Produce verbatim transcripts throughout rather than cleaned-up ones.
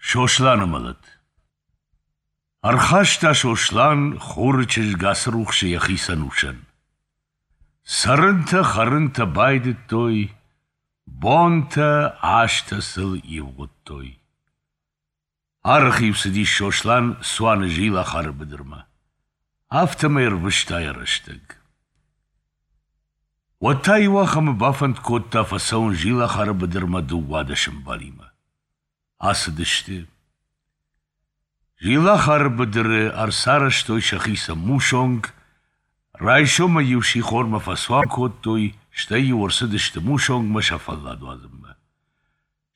Сосланы мӕлӕт. Ӕрхаста Сослан Хуры чызг Ацырухсы йӕхицӕн усӕн. Цӕрынтӕ-хӕрынтӕ байдыдтой, бонтӕ, азтӕ сыл ивгъуыдтой. Арӕх-иу цыдис Сослан цуаны Зилахары быдырмӕ. Афтӕмӕй ӕрвыста йӕ рӕстӕг. Уӕд та иуахӕмы бафӕнд кодта фӕцӕуын Зилахары быдырмӕ дыууадӕс ӕмбалимӕ. Ацыдысты. Зилахары быдыры ӕрцарӕзтой сӕхицӕн мусонг, райсомӕй-иу сихормӕ фӕцуан кодтой, стӕй-иу ӕрцыдысты мусонгмӕ сӕ фӕллад уадзынмӕ.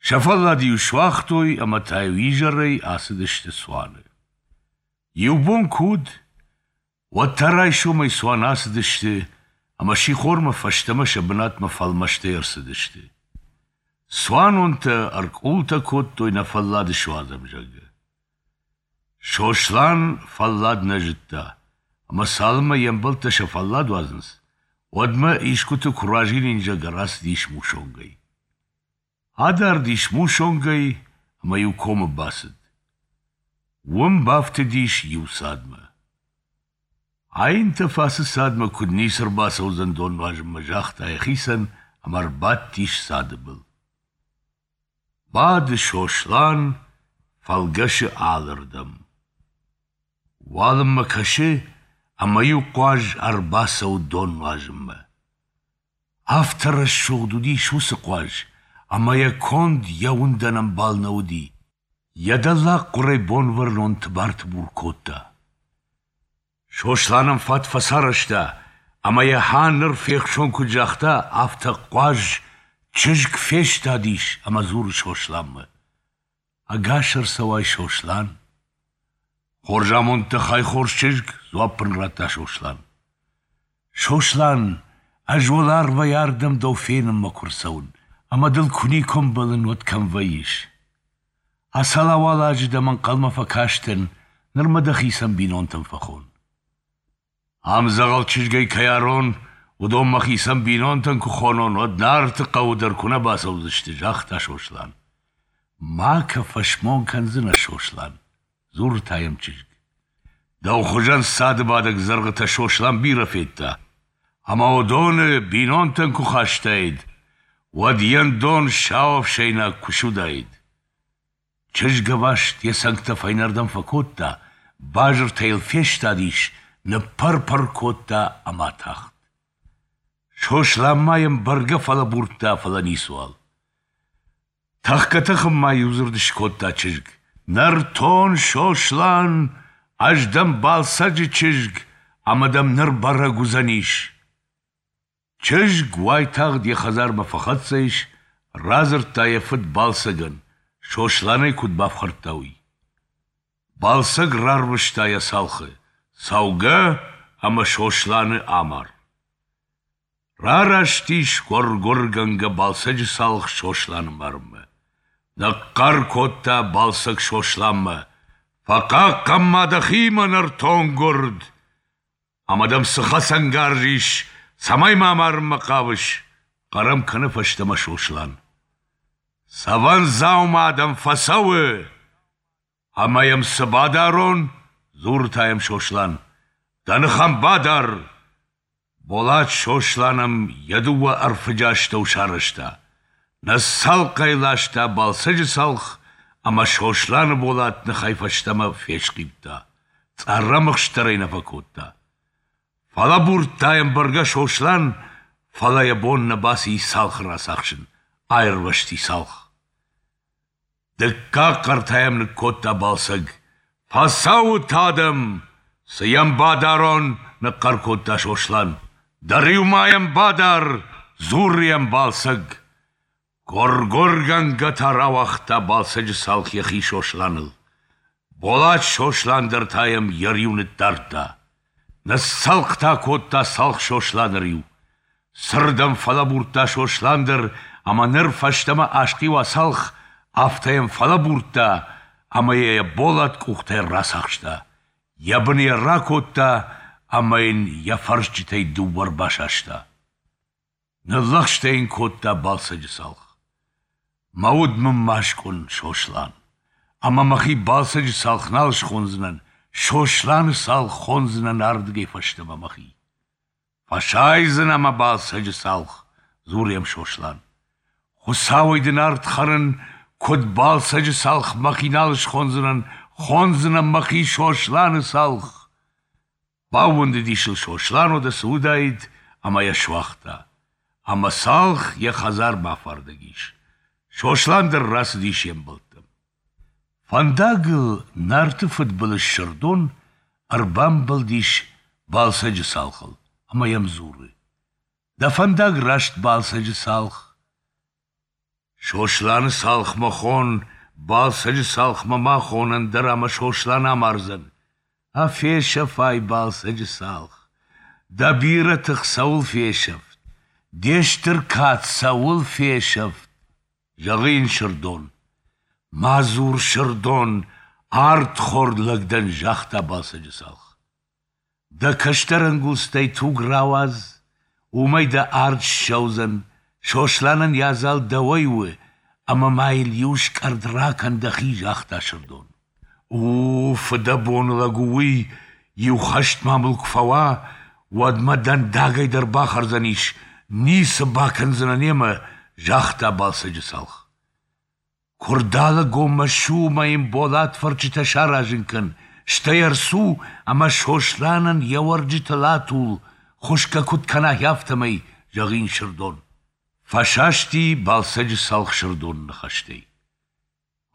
Сӕ фӕллад-иу суагътой ӕмӕ та-иу изӕрӕй ацыдысты цуаны. Иу бон куы уыд, уӕд та райсомӕй цуаны ацыдысты ӕмӕ сихормӕ фӕстӕмӕ сӕ бынатмӕ фӕлмӕстӕй ӕрцыдысты. Цуанонтӕ ӕркъултӕ кодтой, нӕ фӕллад суадзӕм, зӕгъгӕ. Сослан фӕллад нӕ зыдта, ӕмӕ цалынмӕ йе мбӕлттӕ сӕ фӕллад уадзынц, уӕдмӕ искуыты куы разилин, зӕгъгӕ, рацыдис мусонгӕй. Адард ис мусонгӕй ӕмӕ иу комы бацыд. Уым бафтыдис иу цадмӕ. Айнтӕф ацы цадмӕ куыд ницы ӕрбацӕудзӕн дон нуазынмӕ, загъта йӕхицӕн ӕмӕ ӕрбадтис цады был. Бады Сослан, фӕлгӕсы алырдӕм. Уалынмӕ кӕсы, ӕмӕ иу хъуаз ӕрбацӕуы дон нуазынмӕ. Афтӕ рӕсугъд уыдис уыцы хъуаз, ӕмӕ йӕ конд йӕ уындӕн ӕмбал нӕ уыди. Йӕ дӕллагхъуырӕй Бонвӕрнон тыбар-тыбур кодта. Сослан ӕм фат фӕцарӕзта, ӕмӕ йӕ хьа ныр фехсон куыд загъта, афтӕ хъуаз чызг фестадис ӕмӕ дзуры Сосланмӕ: Ӕгас ӕрцӕуай, Сослан! Хорз амонд дӕ хай, хорз чызг, дзуапп ын радта Сослан. Сослан, ӕз уӕларвӕй ардӕм дӕу фенынмӕ куы рцӕуын, ӕмӕ дыл куы никуы ӕмбӕлын, уӕд кӕм вӕййыс? Ацал-ауал азы дӕм ӕнхъӕлмӕ фӕкастӕн, ныр мӕ дӕхицӕн бинонтӕм фӕхон. Ам дзӕгъӕл чызгӕй кӕй арон, уыдон мӕхицӕн бинонтӕн куы хонон, уӕд Нарты хъӕуы дӕр куы нӕ бацӕудзысты, загъта Сослан. Ма кӕ, фӕсмон кӕндзынӕ, Сослан, дзуры та йӕм чызг. Дӕу хуызӕн цады бадӕг дзӕргъытӕ Сослан бирӕ федта, ӕмӕ уыдоны бинонтӕн куы хастаид, уӕд йе ндон сау ӕфсӕйнаг куы суыдаид. Чызг ӕваст йӕ цӕнгтӕ фӕйнӕрдӕм фӕкодта, базыртӕ йыл фестадис, ныппӕр-пӕр кодта ӕмӕ атахт. Сослан ма йӕм бӕргӕ фӕлӕбурдта, фӕлӕ ницыуал. Тӕхгӕ-тӕхын ма иу дзырд скодта чызг: «Нӕртон Сослан, ӕз дӕн Балсӕджы чызг, ӕмӕ дӕм ныр бӕрӕг уыдзӕнис!» Чызг уайтагъд йӕ хӕдзармӕ фӕхӕццӕ ис, радзырдта йӕ фыд Балсӕгӕн, Сослан ӕй куыд бафхӕрдта, уый. Балсӕг рарвыста йӕ цалхы: «Цӕугӕ ӕмӕ Сосланы амар!» Рараст ис гуыр-гуыргӕнгӕ Балсӕджы цалх Сосланы марынмӕ. Ныхъхъӕр кодта Балсӕг Сосланмӕ: «Фӕхъахъхъӕн ма дӕхи, мӕ нӕртон гуырд! Ӕмӕ дӕм цы хӕцӕнгарз ис, цӕмӕй мӕ амарынмӕ хъавыс?» хъӕр ӕм кӕны фӕстӕмӕ Сослан. «Цӕвӕн дзаума дӕм фӕцӕуы!» «Ӕмӕ йӕм цы бадарон?» дзуры та йӕм Сослан. «Дӕ ных ӕм бадар!» Болат Сослан ӕм йӕ дыууӕ ӕрфыджы астӕу сарӕзта. Ныццӕлхъ ӕй ласта Балсӕджы цалх, ӕмӕ Сосланы болат ныхӕй фӕстӕмӕ фесхъиудта, цъӕррӕмыхст дӕр ӕй нӕ фӕкодта. Фӕлӕбурдта йӕм бӕргӕ Сослан, фӕлӕ йӕ бон нӕ баци цалхы рацахсын, аирвӕзти цалх. Дыккаг хъӕр та йӕм ныккодта Балсӕг: «Фӕцӕуут, адӕм! Цы йӕм бадарон?» — ныхъхъӕр кодта Сослан. «Дӕ риу ма йӕм бадар!» — дзуры йӕм Балсӕг. Гуыр-гуыргӕнгӕ та рауагъта Балсӕджы цалх йӕхи Сосланыл. Болат Сослан дӕр та йӕм йӕ риу ныддардта. Ныццӕлхъ та кодта цалх Сосланы риу. Цырд ӕм фӕлӕбурдта Сослан дӕр, ӕмӕ ныр фӕстӕмӕ асхъиуа цалх, афтӕ йӕм фӕлӕбурдта ӕмӕ йӕ йӕ болат къухтӕй рацахста, йӕ быны йӕ ракодта ӕмӕ йын йӕ фӕрсджытӕй дыууӕ ӕрбасаста. Ныллӕгъстӕ йын кодта Балсӕджы цалх: «Мӕ уд мын ма скъуын, Сослан, ӕмӕ мӕхи Балсӕджы Цалх нал схондзынӕн, Сосланы Цалх хондзынӕн ардыгӕй фӕстӕмӕ мӕхи. Фӕсайдзынӕ мӕ, Балсӕджы Цалх, дзуры йӕм Сослан. Хуыцауӕй дын ард хӕрын, куыд Балсӕджы Цалх мӕхи нал схондзынӕн, хондзынӕн мӕхи Сосланы Цалх. Баууӕндыдис ыл Сослан, уӕдӕ цы уыдаид, ӕмӕ йӕ суагъта. Ӕмӕ Цалх йӕ хӕдзармӕ афардӕг ис. Сослан дӕр рацыдис йе мбӕлттӕм. Фӕндагыл Нарты фыдбылыз Сырдон ӕрбамбӕлдис Балсӕджы Цалхыл ӕмӕ йӕм дзуры: Дӕ фӕндаг раст, Балсӕджы Цалх. Сосланы Цалхмӕ хон, Балсӕджы Цалхмӕ ма хон, ӕндӕр ӕмӕ Сослан амардзӕн. А фесӕфай, Балсӕджы Цалх, дӕ бирӕ тых цӕуыл фесӕфт, де стыр кад цӕуыл фесӕфт, зӕгъы йын Сырдон. Ма дзур, Сырдон, ардхорд лӕг дӕн, загъта Балсӕджы Цалх. Дӕ кӕстӕр ӕнгуылдзтӕй туг рауадз, уымӕй дӕ ард ссӕудзӕн, Сосланӕн йӕ адзал дӕуӕй у, ӕмӕ ма йыл иу скъӕрд ракӕн дӕхи, загъта Сырдон. У, фыдӕбоны лӕг у уый, иу хӕст ма мыл куы фӕуа, уӕд мӕ дӕндагӕй дӕр бахӕрдзӕнис, ницы бакӕндзынӕн йемӕ, загъта Балсӕджы Цалх. Куырдалӕгонмӕ ссу ӕмӕ йын болат фӕрчытӕ саразын кӕн, стӕй ӕрцу ӕмӕ Сосланӕн йӕ уӕрджытыл атул, хуысгӕ куыд кӕна, афтӕмӕй, зӕгъы йын Сырдон. Фӕсасти Балсӕджы Цалх Сырдоны ныхӕстӕй.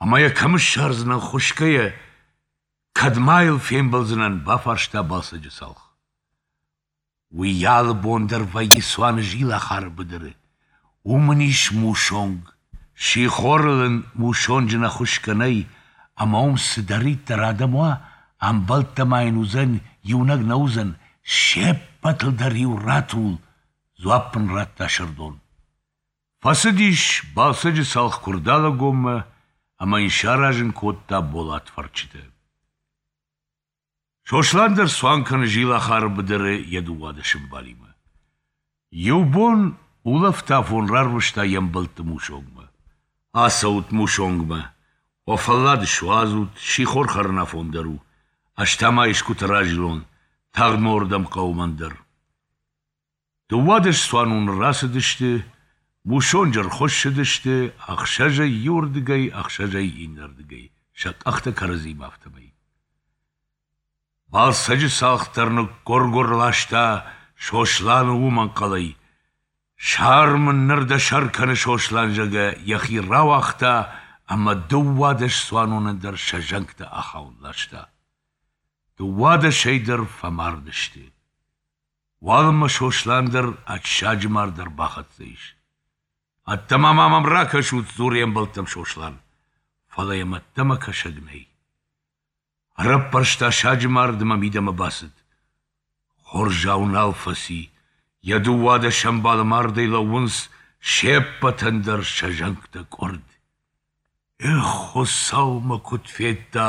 Ӕмӕ йӕ кӕм ссардзынӕн хуысгӕйӕ, кӕд ма йыл фембӕлдзынӕн, бафарста Балсӕджы Цалх. Уый алы бон дӕр вӕййы цуаны Зилахары быдыры. Уым ын ис мусонг. Сихорыл ын мусонджы нӕ хуысгӕ нӕй, ӕмӕ уым цыдӕриддӕр адӕм уа, ӕмбӕлттӕ ма йын уыдзӕн, иунӕг нӕ уыдзӕн, се ппӕтыл дӕр-иу ратул, дзуапп ын радта Сырдон. Фӕцыдис Балсӕджы Цалх Куырдалӕгонмӕ ӕмӕ йын саразын кодта болат фӕрчытӕ. Сослан дӕр цуан кӕны Зилахары быдыры йӕ дыууадӕс ӕмбалимӕ. Иу бон улӕфт афон рарвыста йе мбӕлтты мусонгмӕ. Ацӕут мусонгмӕ, уӕ фӕллад суадзут, сихор хӕрын афон дӕр у, ӕз та ма искуыты разилон, тагъд мӕ уырдӕм хъӕуы мӕн дӕр. Дыууадӕс цуаноны рацыдысты, мусонджы ӕрхуыссыдысты, ӕхсӕзӕй иуырдыгӕй, ӕхсӕзӕй иннӕрдыгӕй, сӕ къӕхтӕ кӕрӕдзимӕ афтӕмӕй. Балсӕджы Цалх дӕр ныггуыр-гуыр ласта Сосланы уым ӕнхъӕлӕй. Сар мын ныр дӕ сӕр кӕны Сослан, зӕгъгӕ, йӕхи рауагъта ӕмӕ дыууадӕс цуанонӕн дӕр сӕ зӕнгтӕ ахауын ласта. Дыууадӕсӕй дӕр фӕмард сты. Уалынмӕ Сослан дӕр ӕд саджы мард ӕрбахӕццӕ ис. Ӕддӕмӕ ма мӕм ракӕсут, дзуры йе мбӕлттӕм Сослан. Фӕлӕ йӕм ӕддӕмӕ кӕсӕг нӕй. Ӕрӕппӕрста саджы мард ӕмӕ мидӕмӕ бацыд. Хорзау нал фӕци, йӕ дыууадӕс ӕмбалы мардӕй лӕууынц, се ппӕтӕн дӕр сӕ зӕнгтӕ къуырд. Эх, Хуыцау мӕ куыд федта,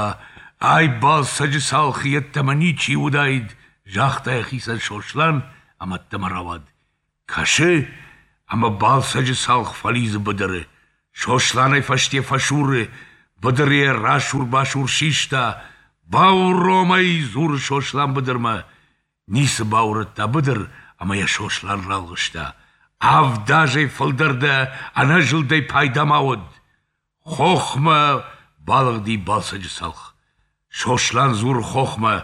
ай Балсӕджы Цалхы йеддӕмӕ ничи уыдаид, загъта йӕхицӕн Сослан ӕмӕ ӕддӕмӕ рауад. Кӕсы, ӕмӕ Балсӕджы Цалх фӕлидзы быдыры. Сослан ӕй фӕсте фӕсуры, быдыры йӕ расур-басур систа. Бауром ӕй, дзуры Сослан быдырмӕ. Ницы баурӕдта быдыр, ӕмӕ йӕ Сослан ралгъыста. Авд азӕй фылдӕр дӕ ӕнӕзылдӕй пайда ма уӕд. Хохмӕ балыгъди Балсӕджы Цалх. Сослан дзуры хохмӕ: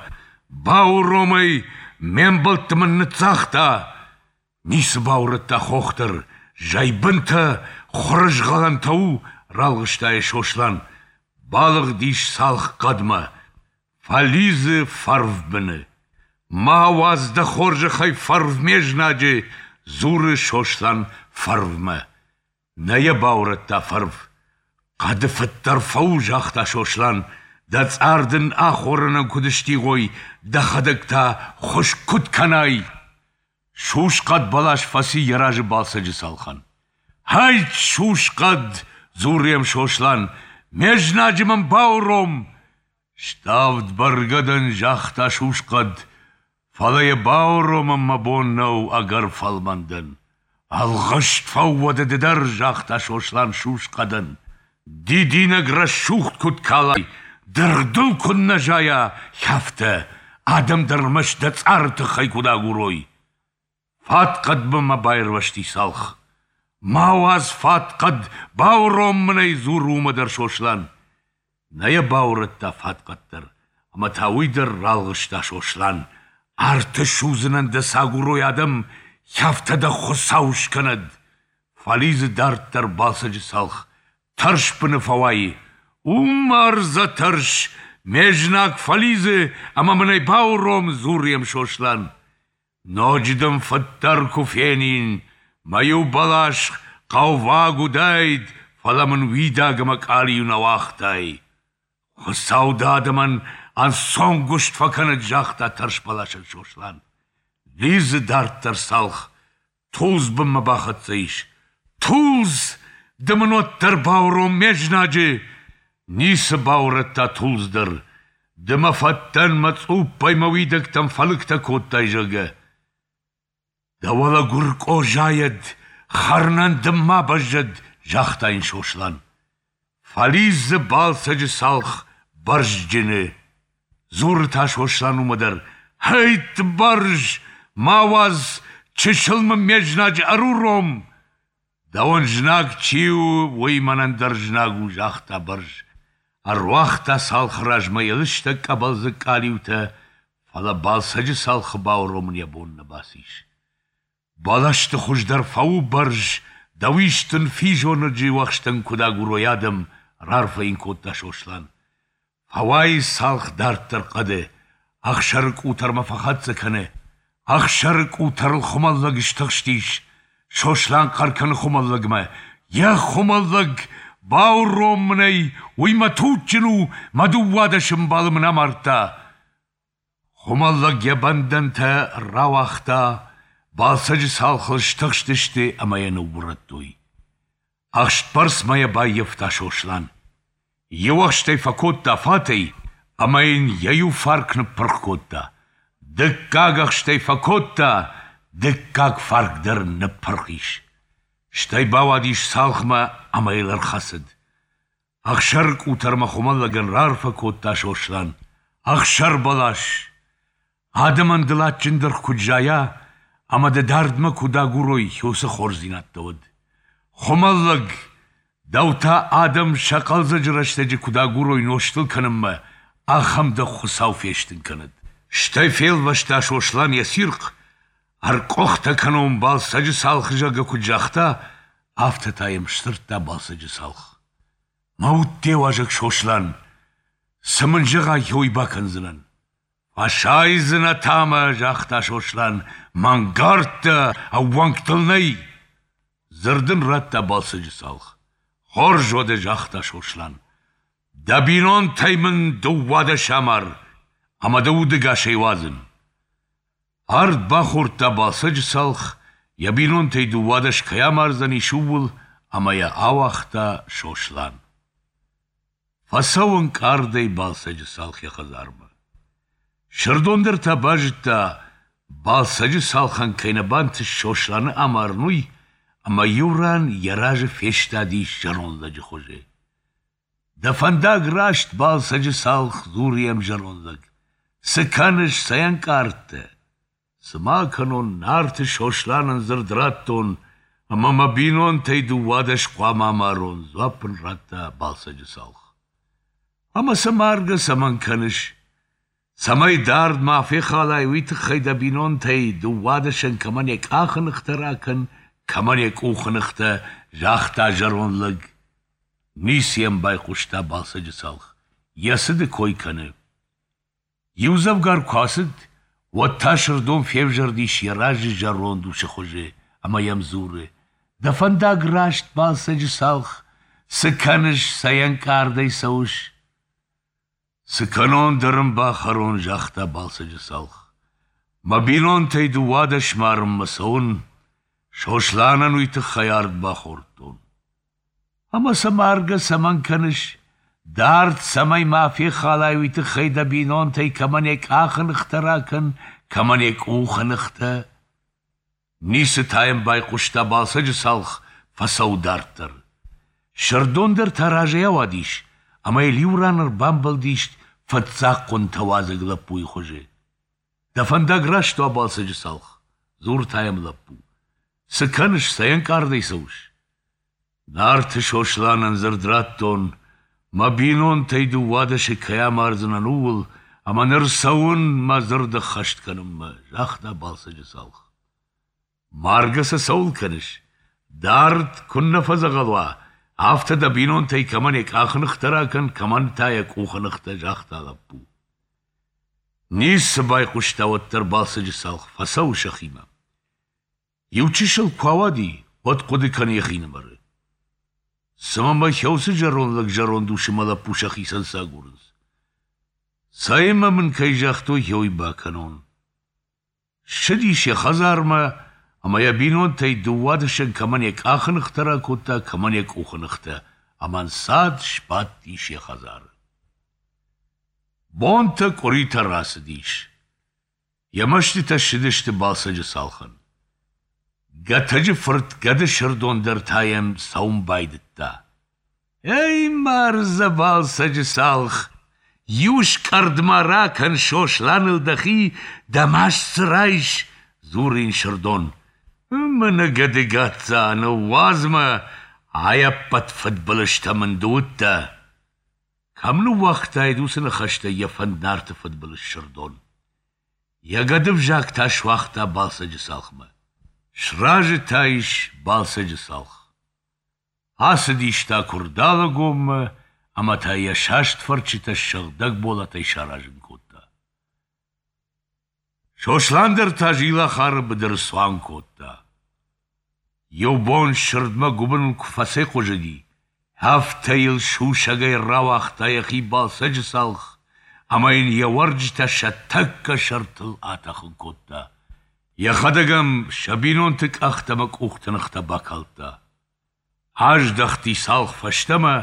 Бауром ӕй, ме мбӕлтты мын ныццагъта. Ницы баурӕдта хох дӕр, зӕйбынтӕ, хуырызгъӕлӕнтӕ у, ралгъыста йӕ Сослан. Балыгъдис Цалх хъӕдмӕ, фӕлидзы фӕрвбыны. Ма уадз дӕ хорзӕхӕй фӕрв ме знаджы, дзуры Сослан фӕрвмӕ. Нӕ йӕ баурӕдта фӕрв. Хъӕды фыддӕр фӕу, загъта Сослан, дӕ цъар дын ахорӕнӕн куыд стигъой, дӕхӕдӕг та хуыскъ куыд кӕнай. Сусхъӕд бӕлас фӕци йӕ разы Балсӕджы Цалхӕн. Ӕйт, сусхъӕд, дзуры йӕм Сослан, ме знаджы мын бауром. Ставд бӕргӕ дӕн, загъта сусхъӕд, фӕлӕ йӕ бауромын мӕ бон нӕу, ӕгӕр фӕлмӕн дӕн. Ӕлгъыст фӕу уӕдӕ ды дӕр, загъта Сослан сусхъӕдӕн. Дидинӕг рӕсугъд куыд калай, дыргъ дыл куыд нӕ зайа, афтӕ, адӕм дӕ ӕрмӕст дӕ цъары тыххӕй куыд агурой. Фатхъӕдбынмӕ баирвӕзти цалх. Ма уадз фатхъӕд, бауром мын ӕй, дзуры уымӕ дӕр Сослан. Нӕ йӕ баурӕдта фатхъӕд дӕр, ӕмӕ та уый дӕр ралгъыста Сослан: Арты судзынӕн дӕ цы агурой адӕм, афтӕ дӕ Хуыцау скӕнӕд! Фӕлидзы дарддӕр Балсӕджы цалх, тӕрсбыны фӕуайы. У мардзӕ тӕрс, ме знаг фӕлидзы ӕмӕ мын ӕй бауром, дзуры йӕм Сослан. Ноджы дын фыддӕр куы фенин, мӕ иу бӕлас хъӕуваг уыдаид, фӕлӕ мын уидаг ӕмӕ къалиу нӕ уагътай. Хуыцау дӕ адӕмӕн ӕнцонгуыст фӕкӕнӕд, загъта тӕрсбӕласӕн Сослан. Лидзы дарддӕр цалх, тулдз бынмӕ бахӕццӕ ис. Тулдз, ды мын уӕддӕр бауром ме знаджы! Ницы баурӕдта тулдз дӕр. Ды мӕ фӕттӕн мӕ цъуппӕй мӕ уидӕгтӕм фӕлыгтӕ кодтай, зӕгъгӕ. Дӕ уӕлӕ гуыркъо зайӕд, хӕрынӕн дын ма бӕззӕд, загъта йын Сослан. Фӕлидзы Балсӕджы цалх бӕрзджыны. Дзуры та Сослан уымӕ дӕр: Хӕйтт, бӕрз, ма уадз, чысыл мын ме знаджы ӕруром! Дӕуӕн знаг чи у, уый мӕнӕн дӕр знаг у, загъта бӕрз. Ӕруагъта цалхы размӕ йӕ лыстӕг къӕбӕлдзыг къалиутӕ, фӕлӕ Балсӕджы цалхы бауромын йӕ бон нӕ бацис. Бӕлӕсты хуыздӕр фӕу, бӕрз, дӕ уис дын физонӕджы уӕхстӕн куыд агурой адӕм, раарфӕ йын кодта Сослан. Фӕуайы цалх дарддӕр хъӕды, ӕхсӕры къутӕрмӕ фӕхӕццӕ кӕны. Ӕхсӕры къутӕрыл хуымӕллӕг стыхстис. Сослан хъӕр кӕны хуымӕллӕгмӕ: Йӕ хуымӕллӕг, бауром мын ӕй, уый мӕ туджджын у, мӕ дыууадӕс ӕмбалы мын амардта. Хуымӕллӕг йӕ бӕндӕнтӕ рауагъта, Балсӕджы цалхыл стыхстысты ӕмӕ йӕ ныуурӕдтой. Ӕхстбӕрцмӕ йӕ баййӕфта Сослан. Иу ӕхст ӕй фӕкодта фатӕй ӕмӕ йын йӕ иу фарк ныппырх кодта. Дыккаг ӕхст ӕй фӕкодта, дыккаг фарк дӕр ныппырх ис. Стӕй бауадис цалхмӕ ӕмӕ йыл ӕрхӕцыд. Ӕхсӕры къутӕрмӕ хуымӕллӕгӕн раарфӕ кодта Сослан. Ӕхсӕр бӕлас! Адӕмӕн дыл адджын дыргъ куыд зайа ӕмӕ дӕ дардмӕ куыд агурой, уыцы хорздзинӕдтӕ уӕд. Хуымӕллӕг, дӕу та адӕм сӕ хъӕлдзӕджы рӕстӕджы куыд агурой нозтыл кӕнынмӕ, ахӕм дӕ Хуыцау фестын кӕнӕд. Стӕй фелвӕста Сослан йӕ цирхъ, ӕркъуыхтӕ кӕнон Балсӕджы цалхы, зӕгъгӕ, куыд загъта, афтӕ та йӕм сдзырдта Балсӕджы цалх. Мӕ уд де уазӕг, Сослан, цы мын зӕгъай, уый бакӕндзынӕн. Фӕсайдзынӕ та мӕ, загъта Сослан, мӕнгардтӕ, ӕууӕнк дыл нӕй. Дзырд ын радта Балсӕджы цалх. Хорз уӕдӕ, загъта Сослан. Дӕ бинонтӕй мын дыууадӕс амар, ӕмӕ дӕ удӕгасӕй уадзын. Ард бахордта Балсӕджы цалх, йӕ бинонтӕй дыууадӕс кӕй амардзӕнис, ууыл, ӕмӕ йӕ ауагъта Сослан. Фӕцӕуы ӕнкъардӕй Балсӕджы цалх йӕ хӕдзармӕ. Сырдон дӕр та базыдта, Балсӕджы цалхӕн кӕй нӕ бантыст Сосланы амарын, уый, ӕмӕ иу ран йӕ разы фестадис зӕронд лӕджы хуызы. Дӕ фӕндаг раст, Балсӕджы цалх, дзуры йӕм зӕронд лӕг. Цы кӕныс, цӕй ӕнкъард дӕ? Цы ма кӕнон, Нарты Сосланӕн дзырд радтон, ӕмӕ мӕ бинонтӕй дыууадӕс хъуамӕ амарон, дзуапп ын радта Балсӕджы цалх. Ӕмӕ сӕ маргӕ цӕмӕн кӕныс? Цӕмӕй дард ма фехалай, уый тыххӕй дӕ бинонтӕй дыууадӕсӕн кӕмӕн йӕ къахы ныхтӕ ракӕн, кӕмӕн йӕ къухы ныхтӕ, загъта зӕронд лӕг. Ницы йӕм байхъуыста Балсӕджы цалх, йӕ цыды кой кӕны. Иудзӕвгар куы ацыд, уӕд та Сырдон февзӕрдис йӕ разы зӕронд усы хуызы ӕмӕ йӕм дзуры: Дӕ фӕндаг раст, Балсӕджы цалх, цы кӕныс, цӕй ӕнкъардӕй цӕуыс? Цы кӕнон, дӕ рын бахӕрон, загъта Балсӕджы цалх. Мӕ бинонтӕй дыууадӕс марынмӕ цӕуын, Сосланӕн уый тыххӕй ард бахордтон. Ӕмӕ сӕ маргӕ цӕмӕн кӕныс? Дард цӕмӕй ма фехалай, уый тыххӕй дӕ бинонтӕй кӕмӕн йӕ къахы ныхтӕ ракӕн, кӕмӕн йӕ къухы ныхтӕ. Ницы та йӕм байхъуыста Балсӕджы цалх, фӕцӕуы дарддӕр. Сырдон дӕр та разӕй ауадис ӕмӕ йыл иу ран ӕрбамбӕлдис фыццаг хъуынтӕ уадзӕг лӕппуйы хуызы. Дӕ фӕндаг раст уа, Балсӕджы цалх, дзуры та йӕм лӕппу. Цы кӕныс, цӕй ӕнкъардӕй цӕуыс? Нарты Сосланӕн дзырд радтон, мӕ бинонтӕй дыууадӕсы кӕй амардзынӕн, ууыл, ӕмӕ ныр цӕуын мӕ дзырд ӕххӕст кӕнынмӕ, загъта Балсӕджы цалх. Маргӕ сӕ цӕуыл кӕныс? Дард куыннӕ фӕдзӕгъӕл уа, афтӕ дӕ бинонтӕй кӕмӕн йӕ къахы ныхтӕ ракӕн, кӕмӕн та йӕ къухы ныхтӕ, загъта лӕппу. Ницы байхъуыста уӕддӕр Балсӕджы цалх, фӕцӕуы сӕхимӕ. Иу чысыл куы ауади, уӕд хъуыды кӕны йӕхинымӕры. Цымӕ мӕ уыцы зӕронд лӕг зӕронд ус ӕмӕ лӕппу сӕхицӕн цы агурынц? Цӕй ӕмӕ мын кӕй загътой, уый бакӕнон. Ссыдис йӕ хӕдзармӕ ӕмӕ йӕ бинонтӕй дыууадӕсӕн кӕмӕн йӕ къахы ныхтӕ ракодта, кӕмӕн йӕ къухы ныхтӕ, ӕмӕ ӕнцад сбадтис йӕ хӕдзары. Бонтӕ, къуыритӕ рацыдис. Йӕ мӕстытӕ ссыдысты Балсӕджы цалхӕн. Гӕтӕджы фырт гӕды Сырдон дӕр та йӕм цӕуын байдыдта. Эй, мардзӕ, Балсӕджы цалх, иу скъӕрд ма ракӕн Сосланыл дӕхи, дӕ маст дзы райс, дзуры йын Сырдон. Мӕнӕ гӕды гацца, ныууадз мӕ, ай ӕппӕт фыдбылызтӕ мын ды уыдтӕ. Кӕм ныууагътаид уыцы ныхӕстӕй йӕ фӕнд Нарты фыдбылыз Сырдон. Йӕ гӕды взаг та суагъта Балсӕджы цалхмӕ. Сразы та ис Балсӕджы цалх. Ацыдис та Куырдалӕгонмӕ ӕмӕ та йӕ саст фӕрчытӕ сыгъдӕг болатӕй саразын кодта. Сослан дӕр та Зилахары быдыры цуан кодта. Иу бон сырдмӕ гуыбыныл куы фӕцӕйхъуызыди, афтӕ йыл сусӕгӕй рауагъта йӕхи Балсӕджы цалх ӕмӕ йын йӕ уӕрджытӕ сӕ тӕккӕ сӕртыл атӕхын кодта. Йӕхӕдӕг ӕм сӕ бинонты къӕхтӕ ӕмӕ къухты ныхтӕ бакалдта. Аздӕхти цалх фӕстӕмӕ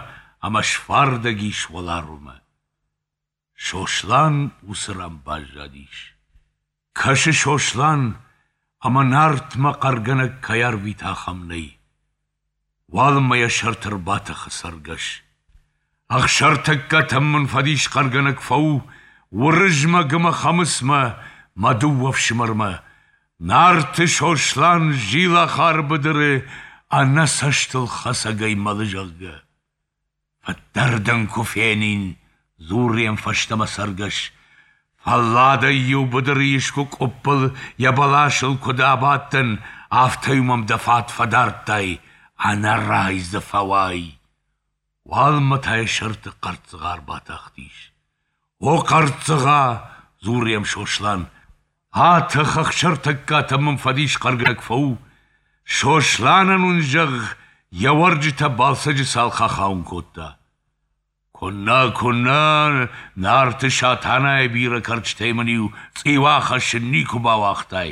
ӕмӕ сфардӕг ис уӕларвмӕ. Сослан уыцы ран баззадис. Кӕсы Сослан, ӕмӕ Нартмӕ хъӕргӕнӕг кӕй арвита, ахӕм нӕй. Уалынмӕ йӕ сӕрты ӕрбатӕхы цӕргӕс. Ӕхсӕртӕггатӕм мын фӕдис хъӕргӕнӕг фӕу, Уырызмӕг ӕмӕ Хӕмыцмӕ, мӕ дыууӕ фсымӕрмӕ. Нарты Сослан Зилахары быдыры ӕнӕ цӕстыл хӕцӕгӕй мӕлы, зӕгъгӕ. Фыддӕр дын куы фенин, дзуры йӕм фӕстӕмӕ цӕргӕс, фӕлладӕй-иу быдыры искуы къуыппыл йӕ бӕласыл куыд абадтӕн, афтӕ-иу мӕм дӕ фат фӕдардтай, ӕнӕрай дзы фӕуай. Уалынмӕ та йӕ сӕрты хъӕрццыгъа ӕрбатахтис. О хъӕрццыгъа, дзуры йӕм Сослан, атӕх ӕхсӕртӕггатӕм мын фӕдис хъӕргӕнӕг фӕу, Сосланӕн уын зӕгъ, йӕ уӕрджытӕ Балсӕджы цалх ахауын кодта. Куыннӕ, куыннӕ, Нарты Сатанайы бирӕ кӕрчытӕй мын-иу цъиу ахӕссын никуы бауагътай.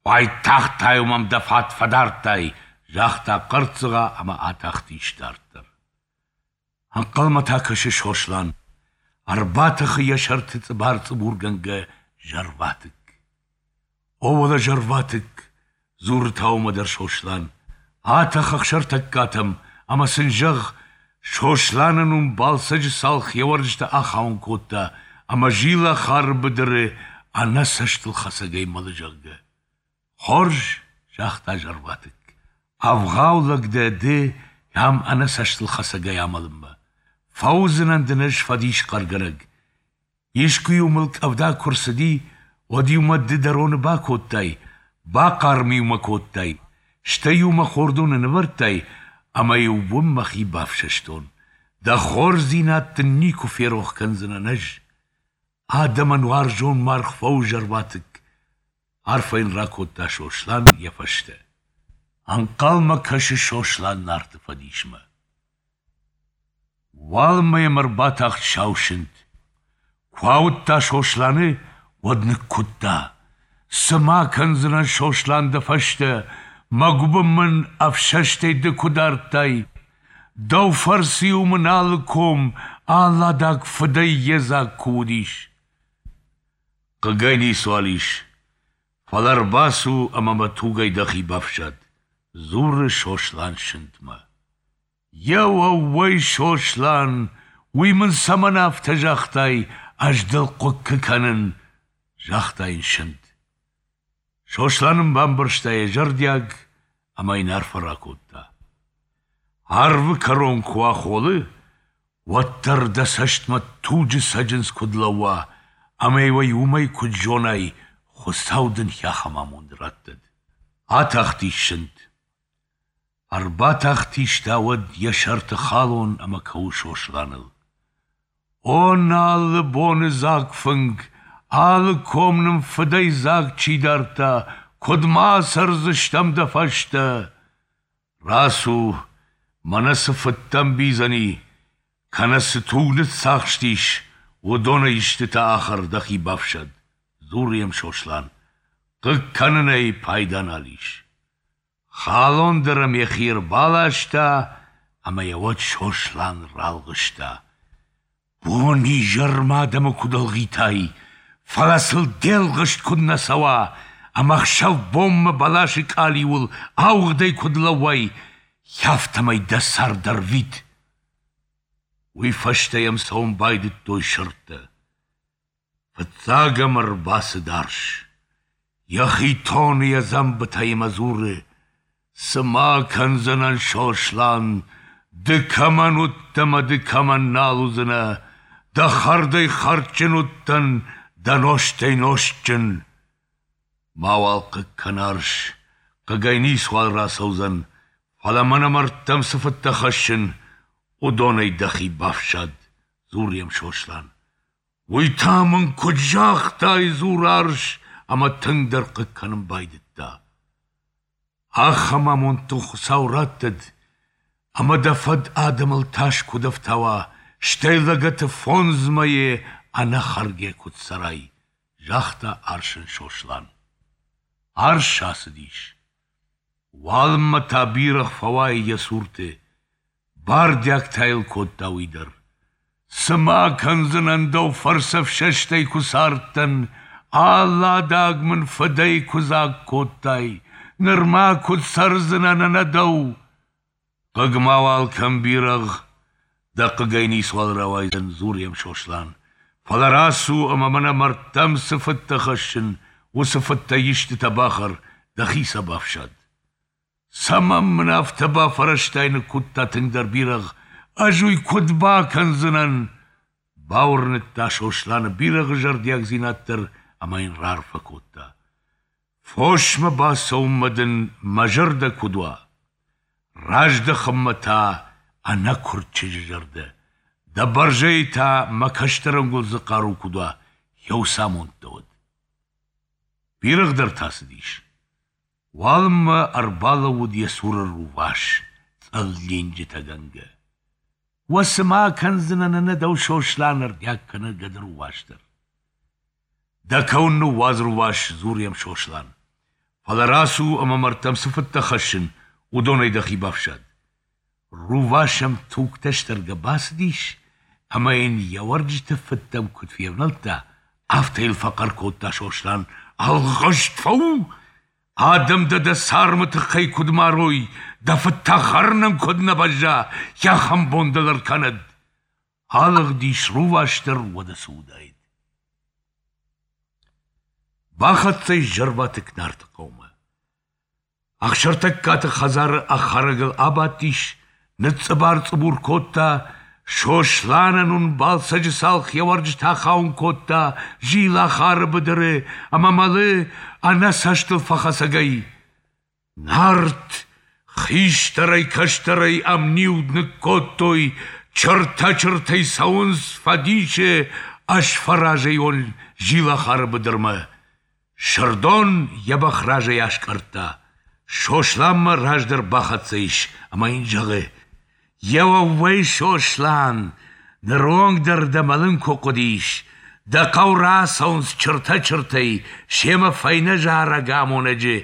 Уайтагъд та-иу мӕм дӕ фат фӕдардтай, загъта хъӕрццыгъа ӕмӕ атахтис дарддӕр. Ӕнхъӕлмӕ та кӕсы Сослан. Ӕрбатӕхы йӕ сӕрты цъыбар-цъыбургӕнгӕ зӕрватыкк. О, уӕлӕ зӕрватыкк, дзуры та уымӕ дӕр Сослан, атӕх ӕхсӕртӕггатӕм ӕмӕ сын зӕгъ, Сосланӕн уын Балсӕджы цалх йӕ уӕрджытӕ ахауын кодта ӕмӕ Зилахары быдыры ӕнӕ цӕстылхӕцӕгӕй мӕлы, зӕгъгӕ. Хорз, загъта зӕрватыкк, ӕвгъау лӕг дӕ ды ам ӕнӕ цӕстылхӕцӕгӕй амӕлынмӕ. Фӕуыдзынӕн дын ӕз фӕдис хъӕргӕнӕг. Искуы-иу мыл къӕвда куы рцыди, уӕд-иу мӕ ды дӕ роны бакодтай, бахъарм-иу мӕ кодтай, стӕй-иу мӕ хордоны нывӕрдтай, ӕмӕ-иу уым мӕхи бафсӕстон. Дӕ хорздзинад дын никуы ферох кӕндзынӕн ӕз. Адӕмӕн уарзон маргъ фӕу, зӕрватыкк, арфӕ йын ракодта Сослан йӕ фӕстӕ. Ӕнхъӕлмӕ кӕсы Сослан Нарты фӕдисмӕ. Уалынмӕ йӕм ӕрбатахт сау сынт. Куы ауыдта Сосланы, уӕд ныккуыдта. Цы ма кӕндзынӕн, Сослан, дӕ фӕстӕ, мӕ гуыбын мын ӕфсӕстӕй ды куы дардтай. Дӕу фӕрцы-иу мын алы ком, алы адаг фыдӕй йедзаг куы уыдис. Хъыгӕй ницуал ис, фӕлӕ ӕрбацу ӕмӕ мӕ тугӕй дӕхи бафсад, дзуры Сослан сынтмӕ. Еуӕууӕй, Сослан, уый мын цӕмӕн афтӕ загътай, ӕз дыл хъуыккы кӕнын, загъта йын сынт. Сослан ын бамбӕрста йӕ зӕрдиаг ӕмӕ йын арфӕ ракодта. Арвы кӕрон куы уа холы, уӕддӕр дӕ цӕстмӕ туджы цӕджындз куыд лӕууа, ӕмӕ-иу ӕй уымӕй куыд зонай, Хуыцау дын ахӕм амонд раттӕд. Атахтис сынт. Ӕрбатахтис та уӕд йӕ сӕрты халон ӕмӕ кӕуы Сосланыл. О, нӕ алы боны дзаг фынг, алы ком нын фыдӕй дзаг чи дардта, куыд ма цӕрдзыстӕм дӕ фӕстӕ? Рацу, мӕнӕ цы фыдтӕ ӕмбийдзӕни, кӕнӕ цы туг ныццахстис, уыдонӕй истытӕ ахӕр, дӕхи бафсад, дзуры йӕм Сослан. Хъыг кӕнынӕй пайда нал ис. Халон дӕр ӕм йӕхи ӕрбаласта, ӕмӕ йӕ уӕд Сослан ралгъыста. Бон-изӕрмӕ адӕмы куыд ӕлгъитай, фӕлӕ сыл де лгъыст куыд нӕ цӕуа, ӕмӕ ӕхсӕв-бонмӕ бӕласы къалиуыл ауыгъдӕй куыд лӕууай, афтӕмӕй дӕ цард ӕрвит. Уый фӕстӕ йӕм цӕуын байдыдтой сырдтӕ. Фыццаг ӕм ӕрбацыд арс. Йӕхи тоны йӕ дзӕмбытӕй ӕмӕ дзуры: Цы ма кӕндзынӕн, Сослан, ды кӕмӕн уыдтӕ мӕ ды кӕмӕн нал уыдзынӕ, дӕ хӕрдӕй хӕрдджын уыдтӕн, дӕ нозтӕй нозтджын. Мауал хъыг кӕн, арс, хъыгӕй ницуал рацӕудзӕн, фӕлӕ мӕнӕ мӕрдтӕм цы фыдтӕ хӕссын, уыдонӕй дӕхи бафсад, дзуры йӕм Сослан. Уый та мын куыд загътай, дзуры арс, ӕмӕ тынгдӕр хъыг кӕнын байдыдта. Ахӕм амонд дын Хуыцау раттӕд, ӕмӕ дӕ фӕд адӕмыл тас куыд ӕфтауа, стӕй лӕгӕты фондз мӕйы ӕнӕхӕргӕ куыд цӕрай, загъта арсӕн Сослан. Арс ацыдис. Уалынмӕ та бирӕгъ фӕуайы йӕ цурты. Бардиаг та йыл кодта уый дӕр. Цы ма кӕндзынӕн дӕу фӕрцы ӕфсӕстӕй куы цардтӕн, алы адаг мын фыдӕй куы дзаг кодтай, ныр ма куыд цӕрдзынӕн ӕнӕ дӕу? Хъыг мауал кӕн, бирӕгъ, дӕ хъыгӕй ницуал рауайдзӕн, дзуры йӕм Сослан. Фӕлӕ рацу ӕмӕ мӕнӕ мӕрдтӕм цы фыдтӕ хӕссын, уыцы фыдтӕй истытӕ бахӕр, дӕхи сӕ бафсад. Цӕмӕн мын афтӕ бафӕрӕзтай, ныккуыдта тынгдӕр бирӕгъ, ӕз уый куыд бакӕндзынӕн? Бауырныдта Сосланы бирӕгъы зӕрдиагдзинад дӕр ӕмӕ йын раарфӕ кодта. Фосмӕ бацӕуынмӕ дын мӕ зӕрдӕ куыд уа, раздӕхынмӕ та ӕнӕкуырд чызджы зӕрдӕ, дӕ бӕрзӕйы та мӕ кӕстӕр ӕнгуылдзы хъару куыд уа, еуцы амонд дӕ уӕд. Бирӕгъ дӕр та цыдис. Уалынмӕ ӕрбалӕууыд йӕ цуры рувас, цъыллинджытӕгӕнгӕ. Уӕ цы ма кӕндзынӕн ӕнӕ дӕу, Сослан, ӕрдиаг кӕны гӕды рувас дӕр. Дӕ кӕуын ныууадз, рувас, дзуры йӕм Сослан. Фӕлӕ рацу ӕмӕ мӕрдтӕм цы фыдтӕ хӕссын, уыдонӕй дӕхи бафсад. Рувас ӕм тугтӕ стӕргӕ бацыдис ӕмӕ йын йӕ уӕрджыты фыдтӕм куыд февнӕлдта, афтӕ йыл фӕхъӕр кодта Сослан: Ӕлгъыст фӕу! Адӕм дӕ дӕ цармы тыххӕй куыд марой, дӕ фыд та хӕрынӕн куыд нӕ бӕзза, ахӕм бон дыл ӕркӕнӕд! Алыгъдис рувас дӕр, уӕдӕ цы уыдаид. Бахӕццӕ ис зӕрватыкк Нарты хъӕумӕ. Ӕхсӕртӕггаты хӕдзары ӕххӕрӕгыл абадтис, ныцъцъыбар-цъыбур кодта, Сосланӕн уын Балсӕджы цалх йӕ уӕрджытӕ ахауын кодта Зилахары быдыры ӕмӕ мӕлы ӕнӕ цӕстыл фӕхӕцӕгӕй. Нарт хистӕрӕй-кӕстӕрӕй ӕмниуд ныккодтой, чыртӕ-чыртӕй цӕуынц фӕдисы ӕз фӕразӕйон Зилахары быдырмӕ. Сырдон йӕ бӕх разӕй аскъӕрдта, Сосланмӕ раздӕр бахӕццӕ ис ӕмӕ йын зӕгъы: Еуӕууӕй, Сослан, ныронг дӕр дӕ мӕлын куы хъуыдис, дӕ хъӕу рацӕуынц чыртӕ-чыртӕй, семӕ фӕйнӕ зарӕг амонӕджы,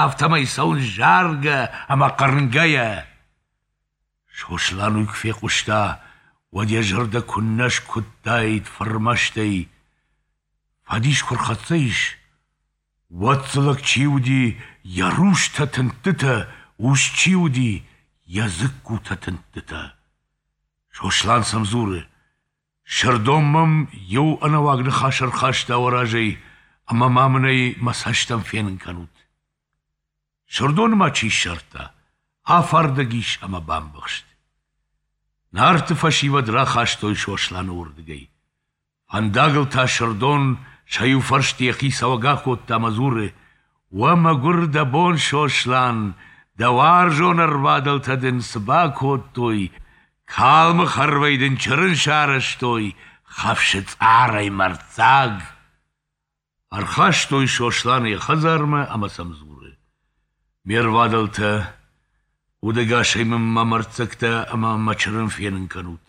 афтӕмӕй цӕуынц заргӕ ӕмӕ хъырнгӕйӕ. Сослан уый куы фехъуыста, уӕд йӕ зӕрдӕ куыннӕ скуыдтаид фырмӕстӕй. Фӕдис куы рхӕццӕ ис, уӕд дзы лӕг чи уыди, йӕ рустӕ тындтытӕ, ус чи уыди, йӕ дзыккутӕ тындтытӕ. Сослан сӕм дзуры: Сырдон мӕм иу ӕнӕуаг ныхас ӕрхаста уӕ разӕй, ӕмӕ ма мын ӕй мӕ цӕстӕн фенын кӕнут. Сырдоны ма чи ссардта, афардӕг ис ӕмӕ бамбӕхст. Нарты фӕсивӕд рахастой Сосланы уырдыгӕй. Фӕндагыл та Сырдон сӕ иу фӕрсты йӕхи цӕуӕг акодта ӕмӕ дзуры: «Уӕ мӕгуыр дӕ бон, Сослан, дӕ уарзон ӕрвадӕлтӕ дын цы бакодтой, калмы хӕрвӕй дын чырын сарӕзтой, хӕфсы цъарӕй мӕрддзаг!» Ӕрхастой Сосланы йӕ хӕдзармӕ ӕмӕ сӕм дзуры: «Ме рвадӕлтӕ, удӕгасӕй мын мӕ мӕрддзӕгтӕ ӕмӕ мӕ чырын фенын кӕнут.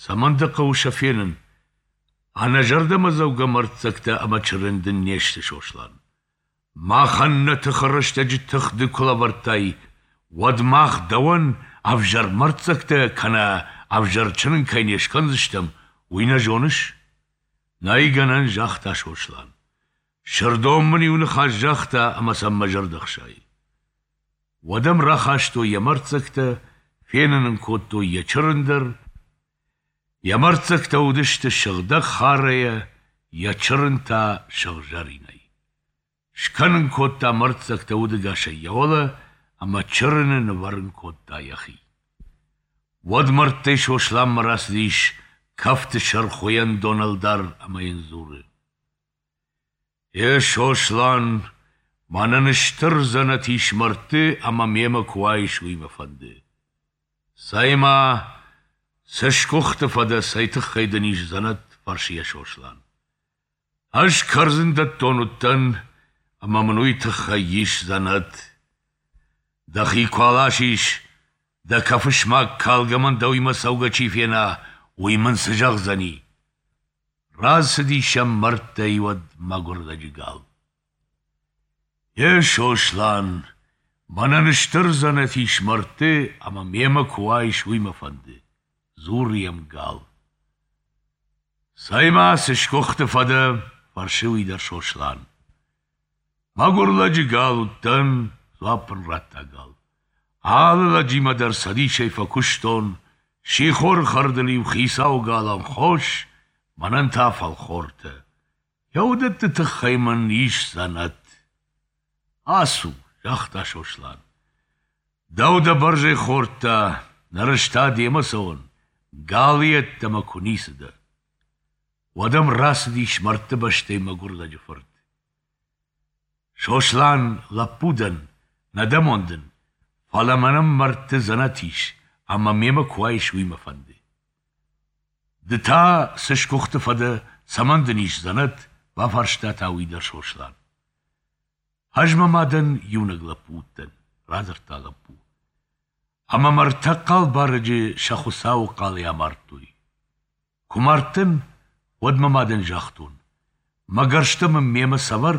Цӕмӕн дӕ хъӕуы сӕ фенын? Ӕнӕзӕрдӕмӕдзӕугӕ мӕрддзӕгтӕ ӕмӕ чырын дын не сты, Сослан. Махӕн нӕ тыхы рӕстӕджы тых ды куы лӕвӕрдтай, уӕд мах дӕуӕн ӕвзӕр мӕрддзӕгтӕ кӕнӕ ӕвзӕр чырын кӕй не скӕндзыстӕм, уый нӕ зоныс? Нӕй гӕнӕн, загъта Сослан. Сырдон мын иу ныхас загъта ӕмӕ сӕм мӕ зӕрдӕ хсайы. Уӕд ӕм рахастой йӕ мӕрддзӕгтӕ, фенын ын кодтой йӕ чырын дӕр. Йӕ мӕрддзӕгтӕ уыдысты сыгъдӕг харӕйӕ, йӕ чырын та сыгъзӕринӕй. Скӕнын кодта мӕрддзӕгтӕ удӕгасӕй йӕ уӕлӕ ӕмӕ чырыны нывӕрын кодта йӕхи. Уӕд мӕрдтӕй Сосланмӕ рацыдис кӕфты сӕр Хуыйӕндон ӕлдар ӕмӕ йын дзуры: «Е, Сослан, мӕнӕн стыр дзӕнӕт ис мӕрдты ӕмӕ мемӕ куы уаис, уый мӕ фӕнды. Цӕй-ма, цы сгуыхты фӕдӕ, цӕй тыххӕй дын ис дзӕнӕт?» фӕрсы йӕ Сослан. «Ӕз кӕрдзындӕттон уыдтӕн, ӕмӕ мын уый тыххӕй ис дзӕнӕт. Дӕхи куы аласис, дӕ кӕфы смаг калгӕ мӕн дӕуимӕ цӕугӕ чи фена, уый мын цы зӕгъдзӕни?» Рацыди сӕм мӕрдтӕй уӕд мӕгуыр лӕджы гал. «Е, Сослан, мӕнӕн стыр дзӕнӕт ис мӕрдты ӕмӕ мемӕ куы уаис, уый мӕ фӕнды», дзуры йӕм гал. «Цӕй-ма, цы сгуыхты фӕдӕ?» фӕрсы уый дӕр Сослан. «Мӕгуыр лӕджы гал уыдтӕн», дзуапп ын радта гал. «Алы лӕджимӕ дӕр цӕдисӕй фӕкуыстон, сихоры хӕрдыл-иу хицауы галӕн хос, мӕнӕн та фӕлхортӕ. Йӕ уыдӕтты тыххӕй мын ис дзӕнӕт». «Ацу», загъта Сослан. «Дӕу дӕ бӕрзӕй хордта, ныр ӕз та демӕ цӕуын, галы йеддӕмӕ куы ницы дӕ». Уӕд ӕм рацыдис мӕрдты бӕстӕй мӕгуыр лӕджы фырт. «Сослан, лӕппу дӕн, нӕ дӕ амондын, фӕлӕ мӕнӕн мӕрдты дзӕнӕт ис, ӕмӕ мемӕ куы уаис, уый мӕ фӕнды. Ды та цы сгуыхты фӕдӕ, цӕмӕн дын ис дзӕнӕт?» бафарста та уый дӕр Сослан. «Ӕз мӕ мадӕн иунӕг лӕппу уыдтӕн», радзырдта лӕппу. «Ӕмӕ мӕ ӕртӕ хъал барӕджы сӕ Хуыцауы хъалӕй амардтой. Куы мардтӕн, уӕд мӕ мадӕн загътон: мӕ гӕрзтӕ мын мемӕ сӕвӕр,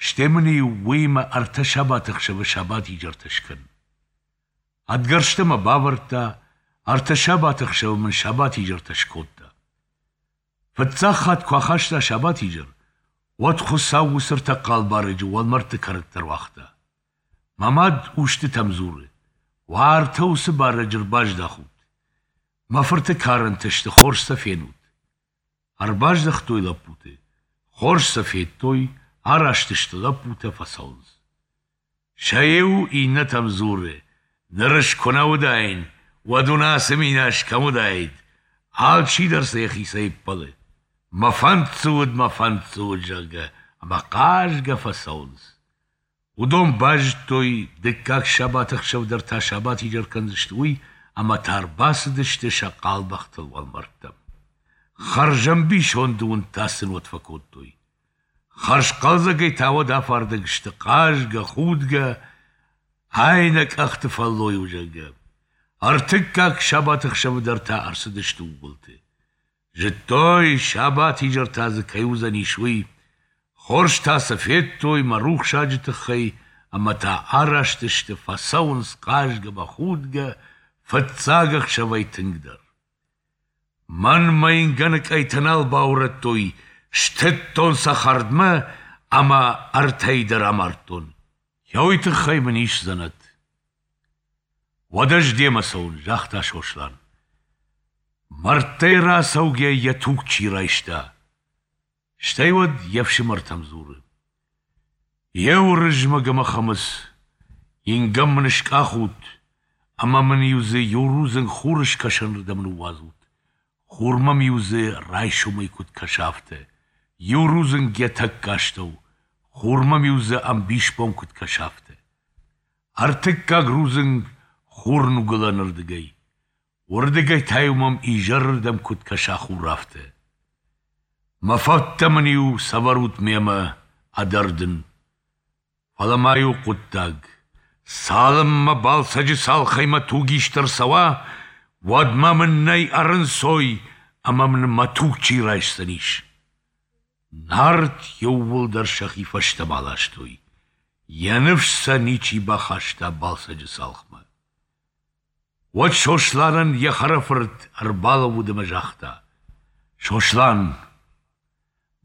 стӕй мын-иу уыимӕ ӕртӕ сабаты ӕхсӕвы сабатизӕртӕ скӕн. Ӕд гӕрзтӕ мӕ бавӕрдта, ӕртӕ сабаты ӕхсӕвы мын сабатизӕртӕ скодта. Фыццаг хатт куы ахаста сабатизӕр, уӕд Хуыцау уыцы ӕртӕ хъал барӕджы уӕлмӕрдты кӕрӕтты ӕруагъта. Мӕ мад устытӕм дзуры: уӕртӕ уыцы барӕджы ӕрбаздахут. Мӕ фырты карӕнтӕ сты, хорз сӕ фенут. Ӕрбаздӕхтой лӕппуты, хорз сӕ федтой, араст сты лӕппутӕ, фӕцӕуынц. Сӕ иу иннӕтӕм дзуры: ныр ӕз куы нӕ уыдаин, уӕд уын ацы минас кӕм уыдаид? Алчидӕр сӕ йӕхицӕй ӕппӕлы. Мӕ фӕнд цы уыд, мӕ фӕнд цы уыд, зӕгъгӕ, ӕмӕ хъазгӕ фӕцӕуынц. Уыдон базыдтой, дыккаг сабаты ӕхсӕв дӕр та сабатизӕр кӕндзысты, уый, ӕмӕ та ӕрбацыдысты сӕ хъал бӕхтыл уӕлмӕрдтӕм. Хӕрзӕмбисонды уынд та сын уӕд фӕкодтой. Хӕрзхъӕлдзӕгӕй та уӕд афардӕг сты хъазгӕ, худгӕ, ай нӕ къӕхты фӕллой у, зӕгъгӕ. Ӕртыккаг сабаты ӕхсӕвы дӕр та ӕрцыдысты ууылты. Зыдтой, сабатизӕр та дзы кӕй уыдзӕнис, уый. Хорз та сӕ федтой мӕ рухсаджы тыххӕй ӕмӕ та араст сты, фӕцӕуынц хъазгӕ мӕ худгӕ, фыццаг ӕхсӕвӕй тынгдӕр. Мӕн мӕ ингӕны къӕйтӕ нал баурӕдтой, стыдтон сӕ хӕрдмӕ ӕмӕ ӕртӕйы дӕр амардтон. Йӕ уый тыххӕй мын ис дзӕнӕт. Уӕд ӕз демӕ цӕуын, загъта Сослан. Мӕрдтӕй рацӕугӕ йӕ туг чи райста. Стӕй уӕд йе фсымӕртӕм дзуры: Йе Уырызмӕг ӕмӕ Хӕмыц, ингӕн мын скъахут ӕмӕ мын-иу дзы иу рудзынг хурыскӕсӕнырдӕм ныууадзут, хур мӕм-иу дзы райсомӕй куыд кӕса, афтӕ, иу рудзынг йӕ тӕккӕ астӕу, хур мӕм-иу дзы ӕмбисбон куыд кӕса, афтӕ. Ӕртыккаг рудзынг хурныгуылӕнырдыгӕй, уырдыгӕй та-иу мӕм изӕрырдӕм куыд кӕса хур, афтӕ. Мӕ фӕттӕ мын-иу сӕвӕрут мемӕ ӕд ӕрдын. Фӕлӕ ма иу хъуыддаг. Цалынмӕ Балсӕджы цалхӕй мӕ туг ист ӕрцӕуа, уӕдмӕ мын нӕй ӕрынцой ӕмӕ мын мӕ туг чи райсдзӕнис. Нарт иууылдӕр сӕхи фӕстӕмӕ аластой. Йӕ ныфс сӕ ничи бахаста Балсӕджы цалхмӕ. Уӕд Сосланӕн йӕ хӕрӕфырт ӕрбалӕууыд ӕмӕ загъта: Сослан,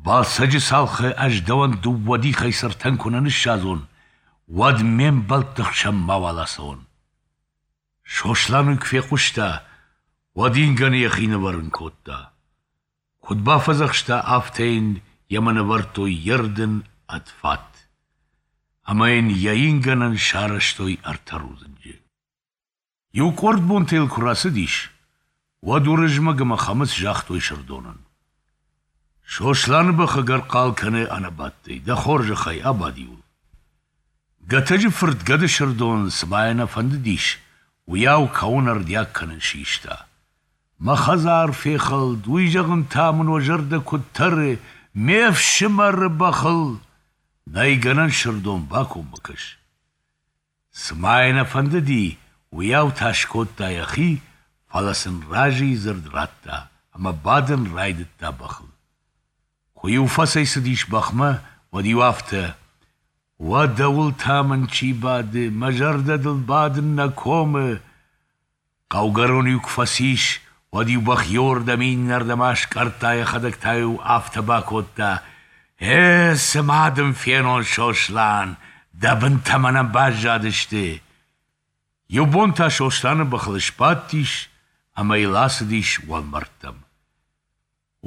Балсӕджы цалхы ӕз дӕуӕн дыууӕ дихӕй цыртӕн куы нӕ ныссадзон, уӕд ме мбӕлтты хсӕн мауал ацӕуон. Сослан уый куы фехъуыста, уӕд ингӕны йӕхи нывӕрын кодта. Куыд бафӕдзӕхста, афтӕ йын йемӕ нывӕрдтой йе рдын ӕд фат. Ӕмӕ йын йӕ ингӕнӕн сарӕзтой ӕртӕ рудзынджы. Иу къорд бонтӕ йыл куы рацыдис, уӕд Уырызмӕг ӕмӕ Хӕмыц загътой Сырдонӕн: Сосланы бӕх ӕгӕр хъал кӕны ӕнӕбадтӕй, дӕ хорзӕхӕй, абад-иу ыл. Гӕтӕджы фырт гӕды Сырдон, цыма йӕ нӕ фӕндыдис, уыйау кӕуын ӕрдиаг кӕнын систа. Мӕ хӕдзар фехӕлд, уый зӕгъын та мын уӕ зӕрдӕ куыд тӕры, ме фсымӕры бӕхыл! Нӕй гӕнӕн, Сырдон, бакоммӕ кӕс. Цыма йӕ нӕ фӕндыди, уыйау та скодта йӕхи, фӕлӕ сын разыйы дзырд радта ӕмӕ бадын райдыдта бӕхыл. Куы-иу фӕцӕйцыдис бӕхмӕ, уӕд-иу афтӕ: Уӕ дӕуыл та мын чи бады, мӕ зӕрдӕ дыл бадын нӕ комы. Хъӕугӕрон-иу куы фӕцис, уӕд-иу бӕх иуырдӕм иннӕрдӕм аскъӕрдта, йӕхӕдӕг та-иу афтӕ бакодта: Э, цы ма дын фенон, Сослан, дӕ бынтӕ мӕнӕн баззадысты. Иу бон та Сосланы бӕхыл сбадтис ӕмӕ йыл ацыдис уӕлмӕрдтӕм.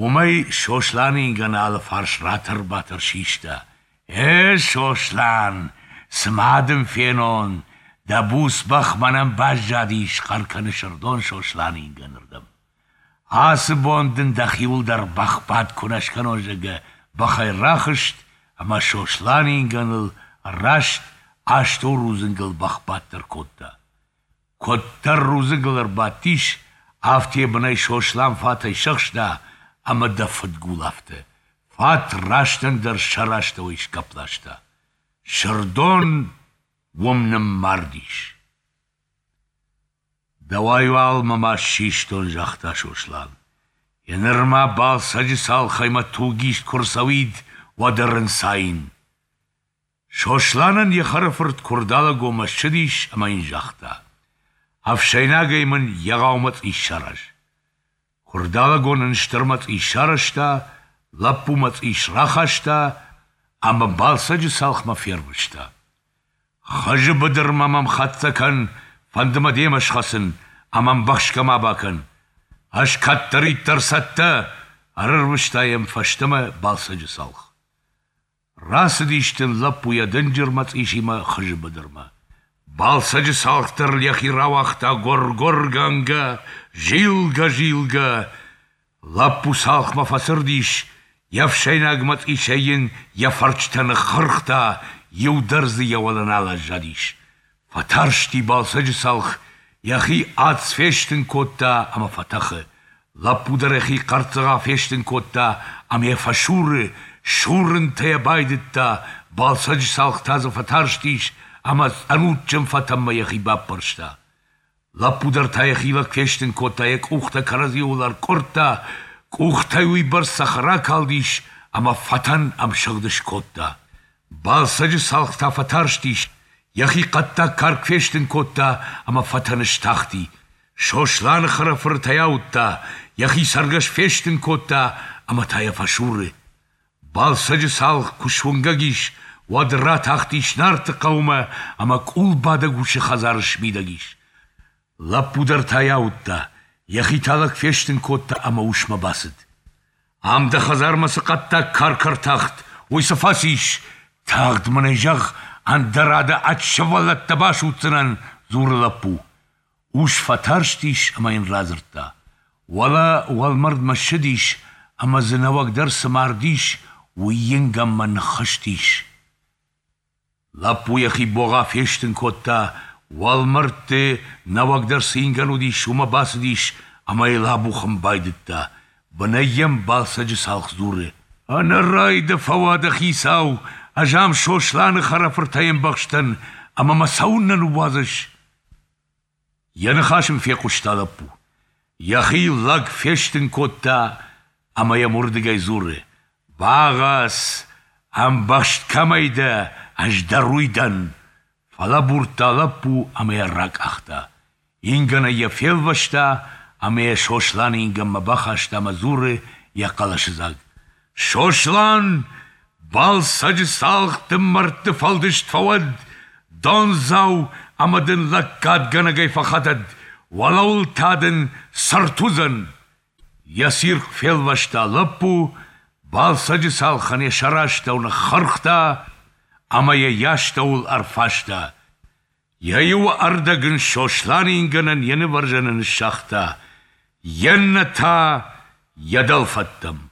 Уымӕй Сосланы ингӕны алыфарс ратӕр-батӕр систа. Э, Сослан, цы ма дын фенон, дӕ буц бӕх мӕнӕн баззадис, хъӕр кӕны Сырдон Сосланы ингӕнырдӕм. Ацы бон дын дӕхиуыл дӕр бӕхбадт куы нӕ скӕнон, зӕгъгӕ, бӕхӕй рахызт ӕмӕ Сосланы ингӕныл раст астӕу рудзынгыл бӕхбадт ӕркодта. Куыддӕр рудзынгыл ӕрбадтис, афтӕ йӕ бынӕй Сослан фатӕй сӕхста, ӕмӕ дӕ фыдгул афтӕ. Фат растӕндӕр сӕр астӕуӕй сгӕпп ласта. Сырдон уым ныммардис. Дӕуӕй уал мӕ маст систон, загъта Сослан. Еныр ма Балсӕджы цалхӕй мӕ туг ист куы рцӕуид, уӕд ӕрынцаин. Сосланӕн йӕ хӕрӕфырт Куырдалӕгонмӕ ссыдис ӕмӕ йын загъта: Ӕфсӕйнагӕй мын егъау мӕцъис сараз. Куырдалӕгон ын стыр мӕцъис сарӕзта, лӕппу мӕцъис рахаста ӕмӕ Балсӕджы цалхмӕ фервыста. Хызы быдырмӕ мӕм хӕццӕ кӕн, фӕнды мӕ демӕ схӕцын, ӕмӕ ӕмбӕхсгӕ ма бакӕн. Ӕз кӕддӕриддӕр цӕттӕ, ӕрӕрвыста йӕм фӕстӕмӕ Балсӕджы цалх. Рацыдис дын лӕппу йӕ дынджыр мӕцъисимӕ Хызы быдырмӕ. Балсӕджы цалх дӕр ыл йӕхи рауагъта гуыр-гуыргӕнгӕ, зилгӕ-зилгӕ. Лӕппу цалхмӕ фӕцырд ис, йе фсӕйнаг мӕцъисӕй йын йӕ фӕрчытӕ ныххырхта, иу дӕр дзы йӕ уӕлӕ нал аззадис. Фӕтарсти Балсӕджы цалх, йӕхи ацц фестын кодта ӕмӕ фӕтӕхы. Лӕппу дӕр йӕхи хъӕрццыгъа фестын кодта ӕмӕ йӕ фӕсуры, сурынтӕ йӕ байдыдта, Балсӕджы цалх та дзы фӕтарстис ӕмӕ ӕнудджын фӕтӕнмӕ йӕхи баппӕрста. Лӕппу дӕр та йӕхи лӕг фестын кодта, йӕ къухтӕ кӕрӕдзиуыл ӕркъуырдта, къухтӕй уыйбӕрц цӕхӕр акалдис, ӕмӕ фӕтӕн ӕмсыгъд скодта. Балсӕджы цалх та фӕтарстис, йӕхи хъӕддаг карк фестын кодта ӕмӕ фӕтӕны стахти. Сосланы хӕрӕфырт ӕй ауыдта, йӕхи цӕргӕс фестын кодта ӕмӕ та йӕ фӕсуры. Балсӕджы цалх куы суынгӕг ис, уӕд ратахтис Нарты хъӕумӕ ӕмӕ къулбадӕг усы хӕдзары смидӕг ис. Лӕппу дӕр та йӕ ауыдта, йӕхи та лӕг фестын кодта ӕмӕ усмӕ бацыд. Ам дӕ хӕдзармӕ цы хъӕддаг карк ӕртахт, уый цы фӕцис? Тагъд мын ӕй зӕгъ, ӕндӕра дӕ ӕд сывӕллӕттӕ басудздзынӕн, дзуры лӕппу. Ус фӕтарстис ӕмӕ йын радзырдта. Уӕлӕ уӕлмӕрдмӕ ссыдис ӕмӕ дзы нӕуӕгдӕр цы мард ис, уый ингӕнмӕ ныххызтис. Лӕппу йӕхи богъа фестын кодта, уӕлмӕрдты нӕуӕгдӕр цы ингӕн уыдис, уымӕ бацыдис ӕмӕ йыл абухын байдыдта. Бынӕй йӕм Балсӕджы цалх дзуры: «Ӕнӕрай дӕ фӕуа дӕ хицау, ӕз ам Сосланы хӕрӕфыртӕй ӕмбӕхстӕн, ӕмӕ мӕ цӕуыннӕ ныууадзыс?» Йӕ ныхас ын фехъуыста лӕппу. Йӕхи лӕг фестын кодта ӕмӕ йӕм уырдыгӕй дзуры: «Багъӕц, ӕмбӕхст кӕмӕй дӕ, ӕз дӕр уый дӕн!» Фӕлӕбурдта лӕппу ӕмӕ йӕ ракъахта. Ингӕнӕй йӕ фелвӕста ӕмӕ йӕ Сосланы ингӕнмӕ бахаста ӕмӕ дзуры йӕ хъӕлӕсыдзаг: «Сослан, Балсӕджы цалх дын мӕрдты фӕлдыст фӕуӕд, дондзау ӕмӕ дын лӕггадгӕнӕгӕй фӕхӕтӕд, уӕлӕуыл та дын цырт уыдзӕн!» Йӕ цирхъ фелвӕста лӕппу, Балсӕджы цалхӕн йӕ сӕрастӕу ныххырхта ӕмӕ йӕ йӕ астӕуыл ӕрфаста. Йӕ иу ӕрдӕг ын Сосланы ингӕнӕн йӕ нывӕрзӕны ныссагъта, йе ннӕ та йӕ дӕлфӕдтӕм.